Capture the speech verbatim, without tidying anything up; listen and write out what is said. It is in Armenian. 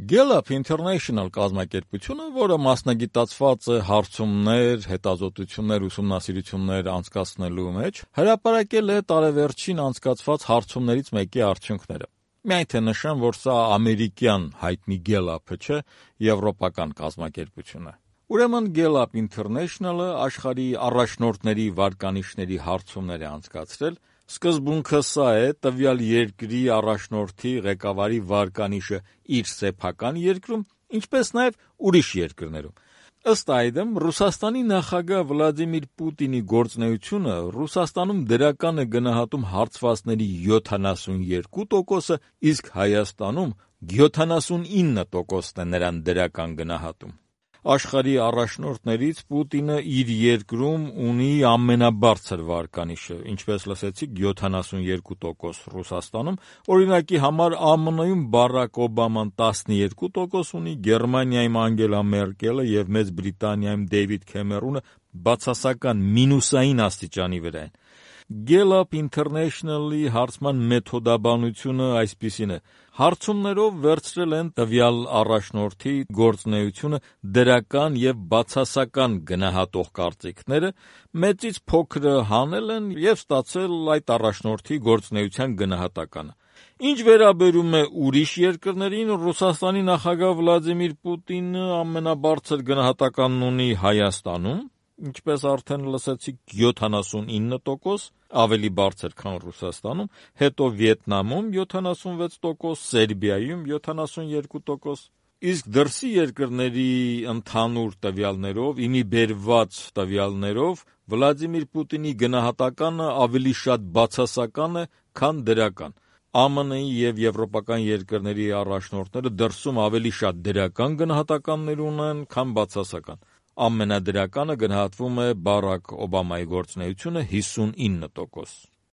Gallup International կազմակերպությունը, որը մասնագիտացված է հարցումներ, հետազոտություններ, ուսումնասիրություններ անցկացնելու մեջ, հրապարակել է տարեվերջին անցկացված հարցումներից մեկի արդյունքները։ Միայն թե նշեմ, որ սա ամերիկյան հայտնի Gallup-ը չէ, եվրոպական կազմակերպություն է։ Ուրեմն Gallup International-ը աշխարհի առաջնորդների վարկանիշների հարցումներ է անցկացրել։ Սկզբունքը սա է, տվյալ երկրի առաջնորդի ղեկավարի վարկանիշը իր սեփական երկրում, ինչպես նաև ուրիշ երկրներում։ Ըստ այդմ, Ռուսաստանի նախագահ Վլադիմիր Պուտինի գործունեությունը Ռուսաստանում դրական է գնահատում հարցվածների յոթանասունյոթ տոկոսը, իսկ Հայաստանում յոթանասունինը տոկոսն է նրան դրական գնահատում։ Աշխարհի առաջնորդներից Պուտինը իր երկրում ունի ամենաբարձր վարկանիշը, ինչպես լսեցիք, յոթանասունյոթ տոկոս Ռուսաստանում, օրինակի համար ԱՄՆ-ում Բարակ Օբաման տասնյոթ տոկոս ունի, Գերմանիայում Անգելա Մերկելը եւ Մեծ Բրիտանիայում Դեյվիդ Քեմերոնը բացասական մինուսային աստիճանի վրա են։ Gallup International-ի հարցման մեթոդաբանությունը այսպիսին է. հարցումներով վերցրել են տվյալ առաջնորդի գործունեությունը դրական եւ բացասական գնահատող կարծիքները, մեծից փոքրը հանել են եւ ստացել այդ առաջնորդի գործունեության գնահատականը։ Ինչ վերաբերում է ուրիշ երկրներին, Ռուսաստանի նախագահ Վլադիմիր Պուտինը ամենաբարձր գնահատականն ունի Հայաստանում, ինչպես արդեն լսեցիք, յոթանասունինը տոկոս, ավելի բարձր, քան Ռուսաստանում, հետո Վիետնամում յոթանասունվեց տոկոս, Սերբիայում յոթանասունյոթ տոկոս, իսկ դրսի երկրների ընդհանուր տվյալներով, իմի բերված տվյալներով, Վլադիմիր Պուտինի գնահատականը ավելի շատ բացասական է, քան դրական։ ԱՄՆ-ի եւ եվրոպական երկրների առաջնորդները դրսում ավելի շատ դրական գնահատականներ ունեն, քան բացասական։ Ամենադրականը գնահատվում է Բարակ Օբամայի գործունեությունը հիսունինը տոկոս։